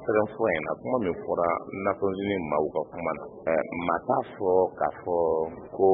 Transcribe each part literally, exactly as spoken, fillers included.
Sɛbɛn fura in na, kuma min fɔra Nations Unies maaw ka kuma na, maa t'a fɔ k'a fɔ ko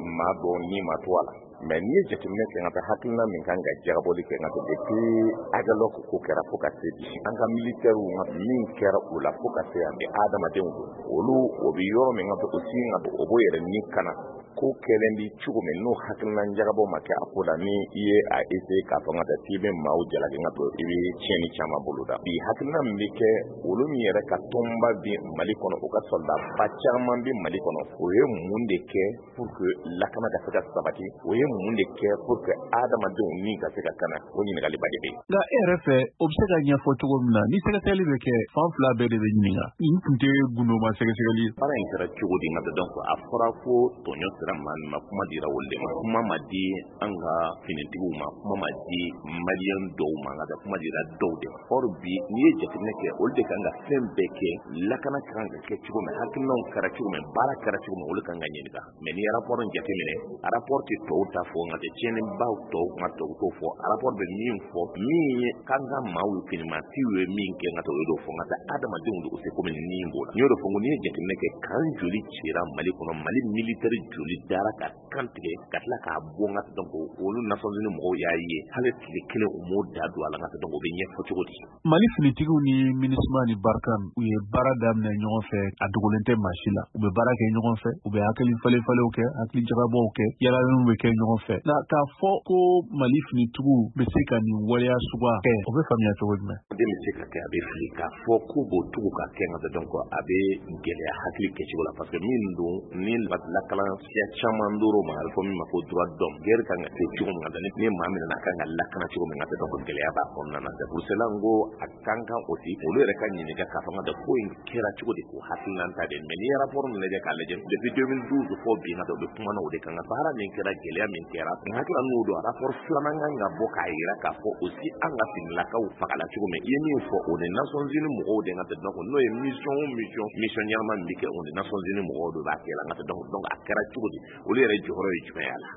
maa dɔw ni ma to a la. Mais n'i ye jateminɛ kɛ, ka taa hakilina min kan ka jagabɔli kɛ, ka depuis Aguelhok ko kɛra fo ka se bi, an ka militaires min kɛra o la fo ka se yan bi, adamadenw don olu, o bɛ yɔrɔ min ka aussi o b'o yɛrɛ ni kana ko kɛlen bi cogo min, n'o hakilina jagabɔ ma kɛ a ko la, ni i ye a essayer k'a fɔ ka taa k'i bɛ maaw jalaki, ka to i bɛ tiɲɛni caman bolo da. Bi hakilina min bɛ kɛ, olu min yɛrɛ ka tɔnba bi Mali kɔnɔ, o ka soldat ba caman bi Mali kɔnɔ, o ye mun de kɛ pour que lakana ka se ka sabati? O ye mun de kɛ pour que adamadenw ni ka se ka kana? O ɲininkaliba de bɛ yen. Nka e yɛrɛ fɛ, o bɛ se ka ɲɛfɔ cogo min na, ni sɛgɛsɛgɛli bɛ kɛ, fan fila bɛɛ de bɛ ɲininka. Nin tun tɛ gundoma sɛgɛsɛgɛli ye. Baara in kɛra cogo di? Nka donc a fɔra ko tɔɲɔ sera maa min ma, kuma dira olu de ma, kuma ma di an ka finitigiw ma, kuma ma di maliyɛn dɔw ma, nka kuma dira dɔw de ma. Or bi, n'i ye jateminɛ kɛ, olu de kan ka fɛn bɛɛ kɛ, lakana kan ka kɛ cogo min, hakilinaw kɛra cogo min, baara kɛra cogo min, olu kan ka ɲininka. Mais n'i ye rapport in jateminɛ, rapport tɛ tɔw ta fɔ, nka tɛ tiɲɛnibaw tɔw kuma tɔw t'o fɔ. Rapport bɛ min fɔ, min ye k'an ka maaw finimatigiw ye min kɛ, nka tɛ o y'o fɔ, nka tɛ adamadenw de o se komi ni b'o la. N y'o de fɔ, n ko n'i ye jateminɛ kɛ, kan joli cira Mali kɔnɔ? Mali militaire joli dara ka kan tigɛ ka tila k'a bɔ? Nka donc olu Nations Unies mɔgɔw y'a ye, hali tile kelen u m'o da don a la. Nka donc o bɛ ɲɛfɔ cogo di? Mali finitigiw ni MINUSMA ni Barkhane, u ye baara daminɛ ɲɔgɔn fɛ, a dogolen tɛ maa si la. U bɛ baara kɛ ɲɔgɔn fɛ, u bɛ hakili falen falenw kɛ, hakili jagabɔw kɛ, yalaliw bɛ kɛ ɲɔgɔn fɛ. Nka k'a fɔ ko Mali finitigiw bɛ se ka nin waleya suguya kɛ, o bɛ faamuya cogo jumɛn? Den bɛ se ka kɛ, a bɛ fili k'a fɔ k'u b'o tugu ka kɛ, nka donc a bɛ gɛlɛya hakili kɛcogo la, parce que min don ni lakalan siya caman dɔrɔn ma, a bɛ fɔ min ma ko droit d'homme, guerre kan ka kɛ cogo min, ka ni maa min nana, a kan ka lakana cogo min, ka donc gɛlɛya b'a kɔnɔna na. C'est pour cela n ko a kan kan aussi olu yɛrɛ ka ɲininka k'a fɔ nka ko in kɛra cogo di, k'o hakilina ta de. Mais n'i ye rapport min lajɛ k'a lajɛ depuis deux mille douze fɔ bi, nka u bɛ kuma na o de kan, nka baara min kɛra, gɛlɛya min kɛra, n hakili n'o don rapport filanan kan ka bɔ k'a yira k'a fɔ aussi an ka finilakaw fagala cogo min. I ye min fɔ, o ni Nations Unies mɔgɔw de ka donc n'o ye mission o mission mission ɲɛnama min bɛ kɛ, o ni Nations Unies mɔgɔw de b'a kɛ la. Nka donc donc a kɛra cogo di? Olu yɛrɛ jɔyɔrɔ ye jumɛn y'a la?